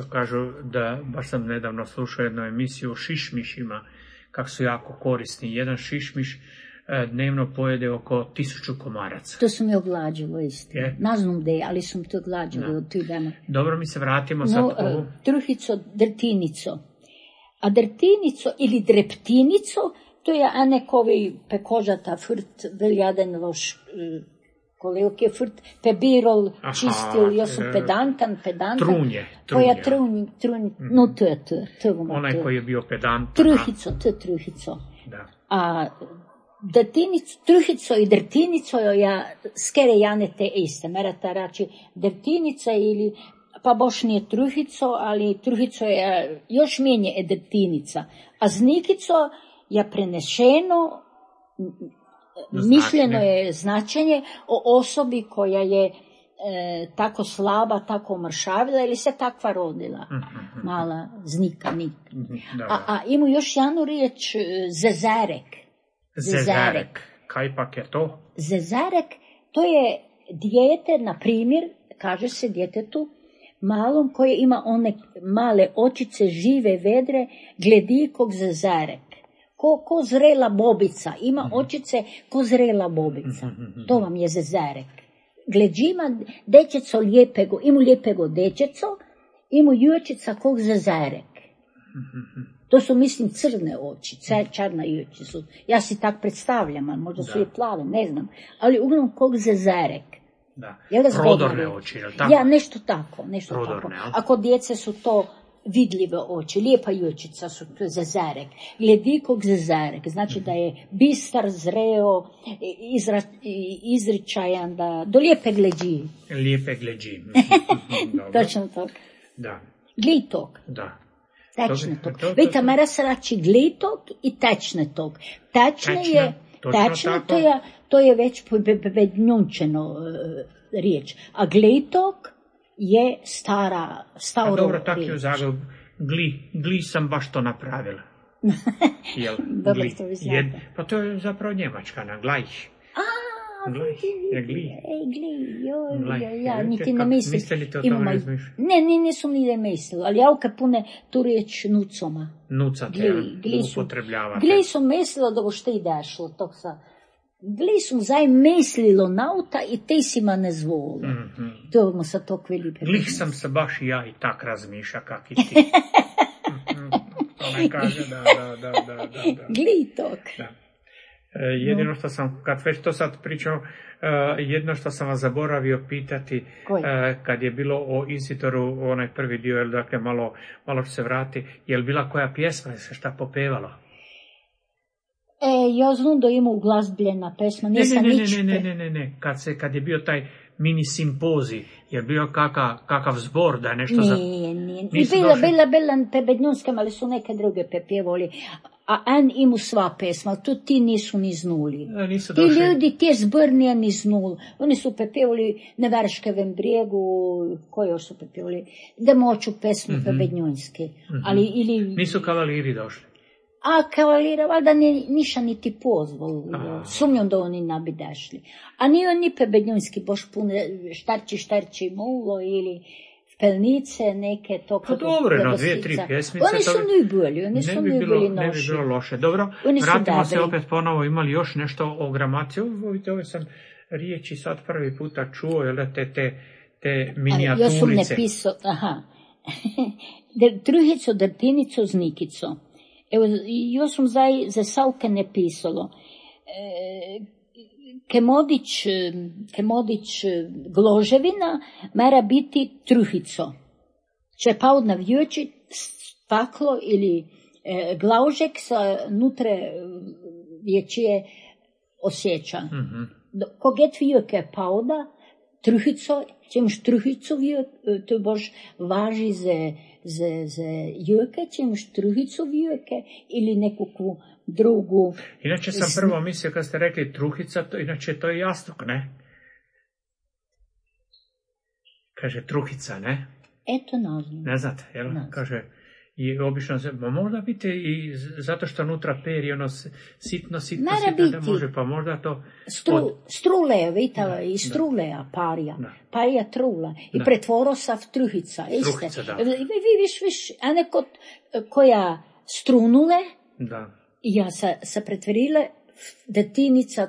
kažu da, baš sam nedavno slušao jednu emisiju o šišmišima, kako su jako korisni. Jedan šišmiš dnevno pojede oko tisuću komaraca. To su mi oglađilo isto. Ne znam de, ali sam to oglađilo od tih dana. Dobro, mi se vratimo sad no, u... Uh, truhico, drtinico. A drtinico ili dreptinico, to je anekovi pekožata frt, veljaden loš, uh, koliko je frt, pebirol, aha, čistil, ja sam pedantan, pedantan. Trunje, trunje. Koja trunje, trunje, mm. no to je to. to Onaj koji je bio pedantan. Truhico, to je truhico. Da. A drtinico, truhico i drtinico ja skere jane te iste. Merata rači drtinica ili, pa boš nije truhico, ali truhico je još mijenje je drtinica. A znikico je prenešeno, značenje. Mišljeno je značenje o osobi koja je e, tako slaba, tako mršavila ili se takva rodila. Mm-hmm. Mala znika, nik. Mm-hmm. A, a ima još jednu riječ, zezarek. Zezarek. Kaj pak je to? Zezarek, to je dijete, na primjer, kaže se djetetu, malom koje ima one male očice, žive, vedre, gledi kog zezarek. Ko, ko zrela bobica, ima očice ko zrela bobica. To vam je zezarek. Gleđima dečeco lijepego, imu lijepego dečeco, imu jučica kog zezarek. To su, mislim, crne oči, čarna juči su. Ja si tak predstavljam, ali možda su i plave, ne znam. Ali uglavnom kog zezarek. Da, prodorne oči, je li tako? Ja, nešto tako, nešto prodorne, tako. Ja? Ako djece su to vidljive oči, lijepa jučica su, to je zezarek. Gledi kog zezarek, znači da je bistar, zreo, izra, izričajan, da, do lijepe gleđi. Lijepe gleđi. Točno to. Da. Glitog. Da. Tečne To- tog. to- to- Vidite, to- mera se rači glitog i tečne tog. Tečne Tečne, je, točno tečne tako. to je, to je već pobednjunčeno e, riječ. A glitog je stara, A staro dobro, tako je u riječ. Zagrebu. Gli, gli sam baš to napravila. Jel, Dobro, gli. to vi znate. Jed- pa to je zapravo njemačka, na glajh. A, Glej, vidi, je gli. Ej, gli, joj, Glej, joj, ja vidite niti ne kako- mislim. niste li to o tome Imamo- razmišljali? Ne, ni, nisam ni ne mislila, ali ja u pune tu riječ nucoma. Nucate, Gli, gli su, upotrebljavate. gli su mislila da bo što i dešlo, tog sa. Gli su zaj mislilo nauta i te si ma ne zvolo. Mhm. To mu sa to kveli Glih sam se baš i ja i tak razmišlja kak i ti. Mhm. To ne kaže, da, da, da, da, da, da. Gli tog. Da. E, jedino što sam, kad već to sad pričao, e, jedno što sam vas zaboravio pitati, Koji? e, kad je bilo o Isitoru, onaj prvi dio, jel, dakle, malo, malo ću se vrati, je li bila koja pjesma, je se šta popevalo? E, ja znam da ima uglazbljena pesma, Ne, ne, nisam ne, ne, nič ne, ne, pe- ne, ne, ne, kad, se, kad je bio taj mini simpozij, je bio kakav, kakav zbor da je nešto za... Nije, nije. I Nisu bila, došli? bila, bila pebednjunska, ali su neke druge pepjevali. A en imu sva pesma, tu ti nisu ni znuli. E, nisu Ti došli. ljudi, ti zbor nije ni znul. Oni su pepjevali na Verškevem brijegu, koji još su pepjevali, da moću pesmu Mhm. pebednjunske. Ali, ili... Nisu kavaliri došli. A kavalira, valjda ni, niša niti pozvali. A. Sumnjam da oni ne bi dešli. A nije oni pebednjunski, boš pune štarči, štarči mulo ili pelnice neke to. Pa dobro, na dvije, tri pjesmice. Oni to su bi- najbolji, oni ne su bi bilo, najbolji ne bi noši. bilo loše. Dobro, Oni su vratimo se dobri. opet ponovo, imali još nešto o gramaciji. Ovo, vidite, ove sam riječi sad prvi puta čuo, jel da, te, te, te A, ja sam minijaturice. napisao, aha, Der, truhico, drtinico, znikico. Evo, ja sam zdaj za Savke napisalo. E, Kemodić, Kemodić Gloževina mora biti truhico. Če pa od navjuči staklo ili e, glaužek sa nutre vječije osjeća. Mhm. Koget vijeke pauda, truhico, če imaš truhico vijek, to boš važi za, za, za jeke, če imaš truhico vijeke ili nekakvu drugu. Inače sam Z- prvo mislio kad ste rekli truhica, to, inače to je jastuk, ne? Kaže truhica, ne? Eto nazvam. Ne znate, jel? Ne znam. Kaže, i obično se, ma možda biti i z- zato što unutra peri ono s- sitno, sitno, Mora sitno da biti. može, pa možda to... Stru, od- struleja, vitala, Da, i struleja parija. Da. Parija trula. I Da. pretvoro sa v truhica. Iste. Truhica, da. Vi, vi viš, viš, a neko koja strunule, Da. ja se, se pretvorile v detinica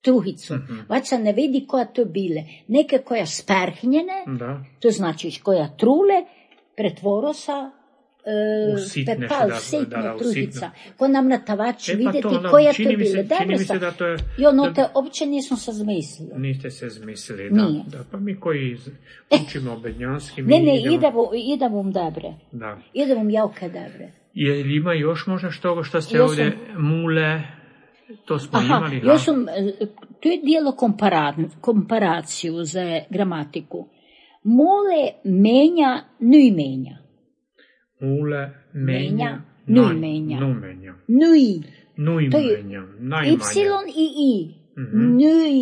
truhicu. Mhm. Vaća ne vidi koja to bile. Neke koja sperhnjene, Da. to znači koja trule, pretvoro sa U e, sitne, pepal, da, sitno da, da, u truhica. sitno. Ko nam na tavač E, pa vidjeti to onda koja čini to mi se- bile. čini Dobro mi se sam. da to je- I ono da- te uopće nisam se zmislila. Niste se zmislili, da. Nije. da. Pa mi koji z- učimo bednjanski, mi Ne, ne, idemo... ide vam, ide vam dobre. Da. Ide vam javke dobre. Je li ima još možda što, što ste Ja ovdje mule, to smo Aha, imali? ja ha? sam, e, to je dijelo kompara, komparaciju za gramatiku. Mole menja, nuj menja. Mule, menja, Menja, naj- nuj menja. nu menja. Nuj. Nuj To je menja, najmanje. Y i I. Mhm. Nuj.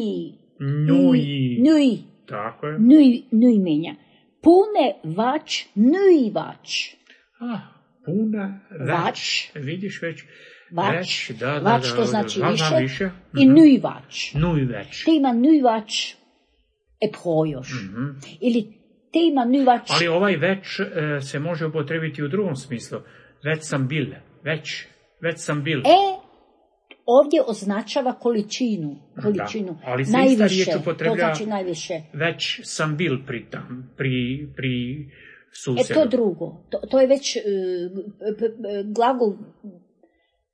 Nuj. Nuj. Tako je. Nuj, nuj menja. Pune vač, nuj vač. Ah, puna već. Vač. Vidiš već. Vač. Već, da, da, Vač da, to da, znači da, više. da, više. I Mhm. nuj vač. Nuj već. Te ima nuj vač e projoš. Mhm. Ili te ima nuj vač. Ali ovaj već e, se može upotrebiti u drugom smislu. Već sam bil. Već. Već sam bil. E, ovdje označava količinu. Količinu. Da, ali se ista najviše. riječ To upotrebljava- znači najviše. Već sam bil pri tam, pri, pri E, susjedu. to drugo. To, to je već e, p- p- glagol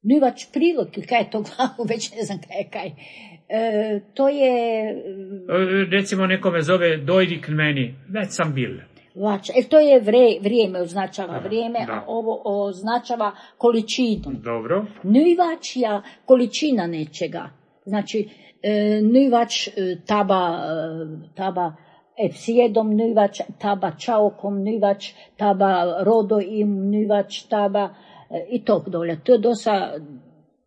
nuvač prilog, kaj je to glagol, već ne znam kaj je kaj. E, to je E, Recimo nekome zove dojdi k meni, već sam bil. vač. E, to je vre, vrijeme, označava Da, vrijeme, da. a ovo označava količinu. Dobro. Nuvač je količina nečega. Znači, e, nuvač e, taba, e, taba Epsijedom nyvač, taba čaokom nyvač, taba rodo im nyvač, taba i tog dolja. To je dosta,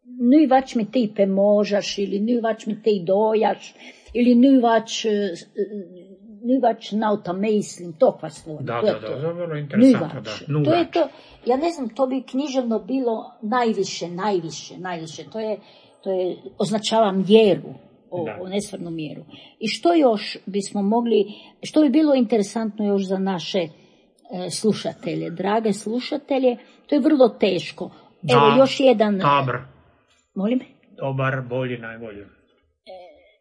nyvač mi ti pomožaš, ili nyvač mi ti dojaš, ili nyvač, nyvač nauta mislim, tokva slova. Da, to da, je da, to. da, vrlo interesantno, da. Nyvač. To je to, ja ne znam, to bi književno bilo najviše, najviše, najviše. To je, to je označava mjeru. O, o nesvarnu mjeru. I što još bismo mogli, što bi bilo interesantno još za naše e, slušatelje, drage slušatelje, to je vrlo teško. Evo da, još jedan... Dobar. Molim? Dobar, bolji, najbolji. E,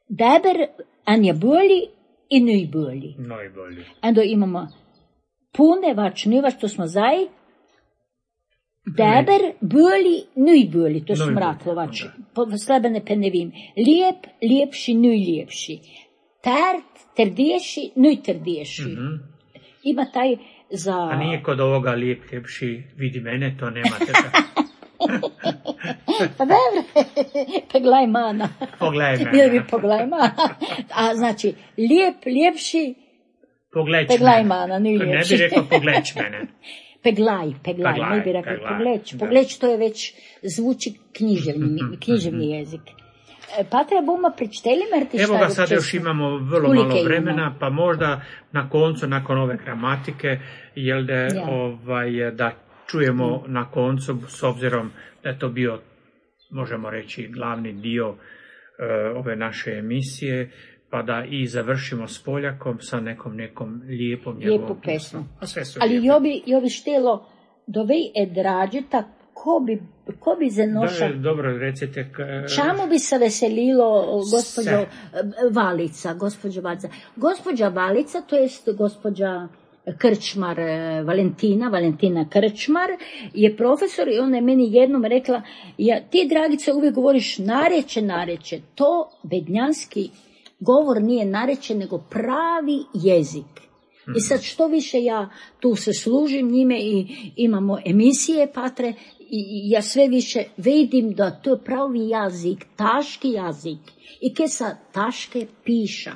Dobar, anja bolji i najbolji. Najbolji. Onda imamo pune vač, nivač, to smo zaj. Dobar, bolji, najbolji, to su mraklovači. Slabene pa ne vim. Lijep, lijepši, najljepši. Tart, trdiješi, najtrdiješi. Mm-hmm. Ima taj za... A nije kod ovoga lijep, ljepši, vidi mene, to nemate. Pa dobro, pogledaj mana. Pogledaj mene. Ili bi pogledaj mana. A znači, lijep, lijepši, pogledaj mana, nije ljepši. Ne bi rekao pogledaj mene. Peglaj, peglaj, peglaj, ne bi rekao peglaj, pogleć. da. Pogleć, to je već zvuči književni, književni jezik. Pa treba uma pričteli, jer ti šta... Evo ga, sad još imamo vrlo Kulike malo vremena, ima. Pa možda na koncu, nakon ove gramatike, jel da, Ja. ovaj, da čujemo mm. na koncu, s obzirom da je to bio, možemo reći, glavni dio uh, ove naše emisije, pa da i završimo s Poljakom sa nekom nekom lijepom njegovom Lijepu pesmu. Ali jo bi, jo bi štelo dovej edrađeta, ko bi, ko bi zanoša... Da, dobro, recite... K... Čemu bi se veselilo gospođo se. Valica, gospođa Valica? Gospođa Valica, to jest gospođa Krčmar, Valentina, Valentina Krčmar, je profesor i ona je meni jednom rekla, ja, ti, Dragice, uvijek govoriš nareče, nareče. To bednjanski govor nije nareče, nego pravi jezik. Mm-hmm. I sad što više ja tu se služim njime i imamo emisije patre, i ja sve više vidim da to je pravi jezik, taški jezik. I ke sa taške piša.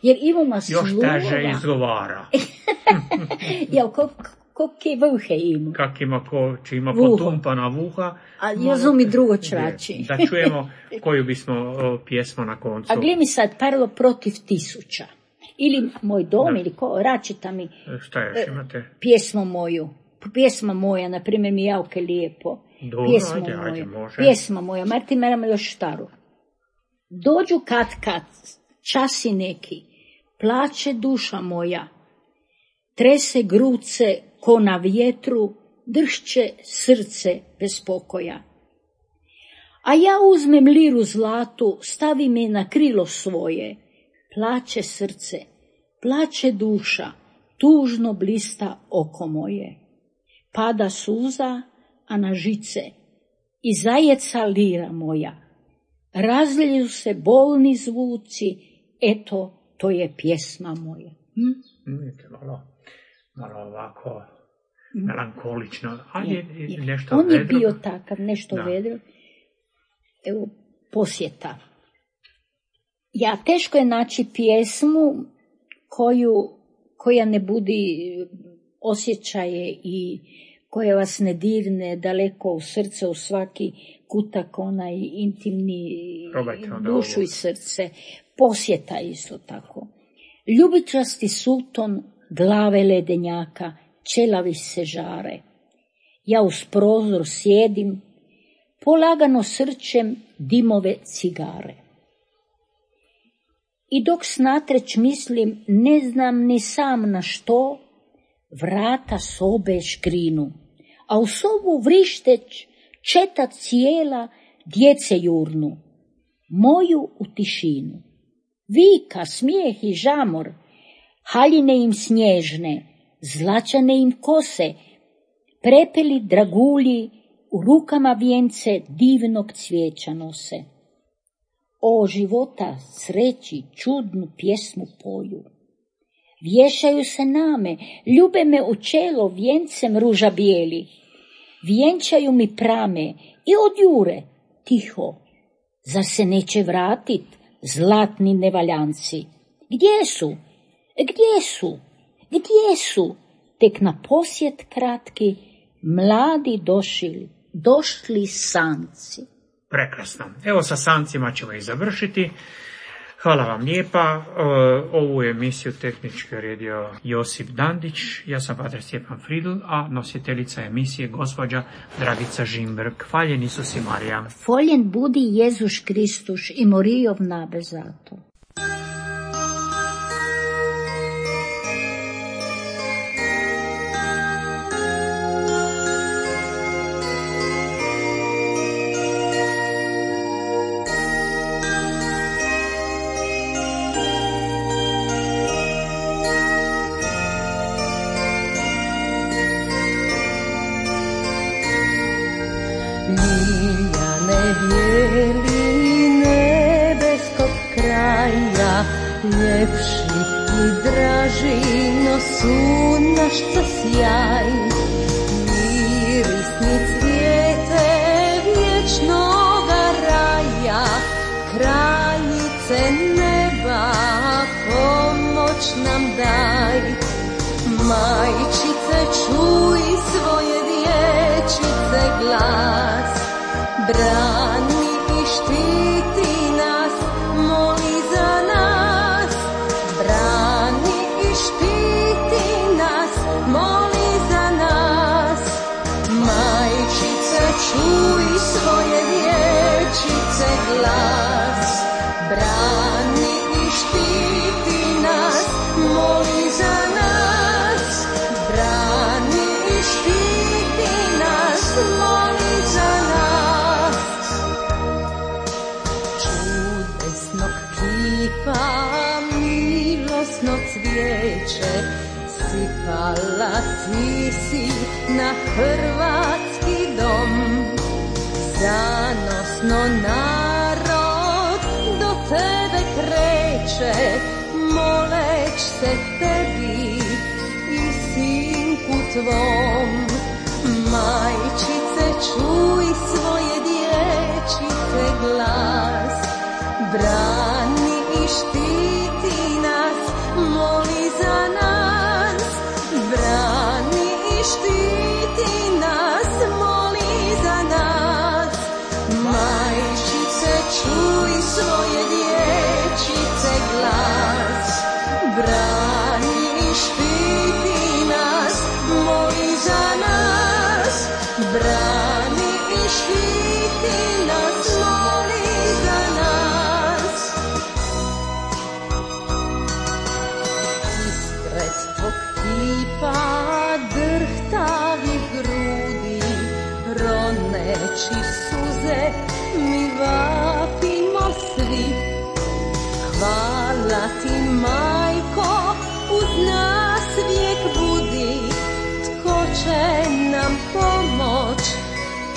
Jer imamo slova... Još teže izgovara. Ja, ko, ko ke vuhe ima. Kak ima ko, či ima potumpana vuha. A ja zum i drugo črači. Da čujemo koju bismo o, pjesmu na koncu. A gleda mi sad, parlo protiv tisuća. Ili moj dom, da. Ili ko, račita mi. Šta još imate? Pjesmu moju. Pjesma moja, na primjer, mi javke lijepo. Dobro, pjesma ajde, moja. ajde, može. Pjesma moja, Martin meramo još staru. Dođu kad kad, časi neki, plače duša moja, trese gruce ko na vjetru, dršće srce bez pokoja. A ja uzmem liru zlatu, stavim je na krilo svoje, plače srce, plače duša, tužno blista oko moje. Pada suza, a na žice, i zajeca lira moja. Razliju se bolni zvuci, eto, to je pjesma moja. Hm? Vidite, malo, malo ovako melankolično, ali je nešto On vedro. je bio takav, nešto da. vedro. Evo, posjeta. Ja, teško je naći pjesmu koju, koja ne budi osjećaje i koja vas ne dirne daleko u srce, u svaki kutak, onaj intimni dušu i srce. Posjeta isto tako. Ljubičasti suton glave ledenjaka, čelavi se žare. Ja uz prozor sjedim, polagano srčem dimove cigare. I dok snatreć mislim, ne znam ni sam na što, vrata sobe škrinu, a u sobu vrišteć četa cijela djece jurnu, moju u tišinu. Vika, smijeh i žamor, haljine im snježne, zlačane im kose, prepeli dragulji, u rukama vijence divnog cvijeća nose. O života, sreći, čudnu pjesmu poju. Vješaju se name, ljube me u čelo vijencem ruža bijeli. Vjenčaju mi prame i odjure, tiho. Zar se neće vratit zlatni nevaljanci? Gdje su? Gdje su? Gdje su? Tek na posjet kratki, mladi došli, došli sanci. Prekrasno. Evo sa sancima ćemo i završiti. Hvala vam lijepa. Ovu emisiju tehnički redio Josip Dandić. Ja sam pater Stjepan Fridl, a nositeljica emisije gospođa Dragica Žimberg. Hvaljen Isus i Marija. Voljen budi Jezus Kristus i Morijov nabezato. Ljepši i draži, no sunnašca sjaj, mirisni cvijete vječnoga raja, kraljice neba, pomoć nam daj. Majčice, čuj svoje dječice glas, brani i štiti nas, moli za nas, brani i štiti nas, moli za nas. Majčice, čuj svoje dječice glas, brani i štiti nas, moli za nas, brani i štiti nas, moli za nas. Čudesnog kipa, milosno cvijeće, sipala ti si na hrvatski dom. Zanosno narod do tebe kreće, moleć se tebi i sinku tvom. Majčice, čuj svoje dječice glas, brani i štiti nas, moli za nas, brani i štiti nas, moli za nas. Majčice, čuj svoje dječice glas, brani i štiti nas, moli za nas, brani i štiti nas, moli za nas. Ispred tvog kipa drhtavi grudi, roneći suze, mi vapimo svi. Hvala ti, majko, uz nas vijek budi, tko će nam pomoć,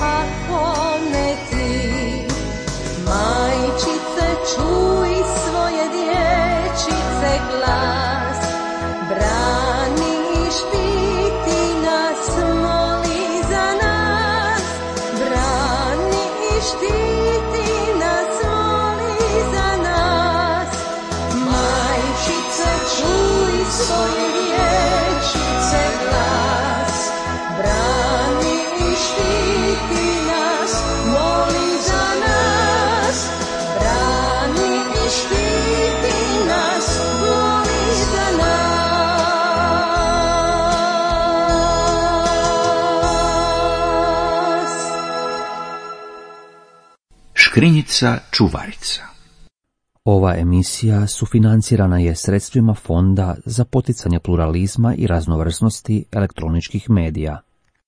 ako ne ti. Majčice, čuj svoje dječice glas, brani i štiti nas, moli za nas, brani i štiti nas, moli za nas. Majčice, čuj svoje dječice glas, brani i štiti nas, moli za nas, brani i štiti nas, moli za nas. Škrinjica čuvarica. Ova emisija sufinancirana je sredstvima Fonda za poticanje pluralizma i raznovrsnosti elektroničkih medija.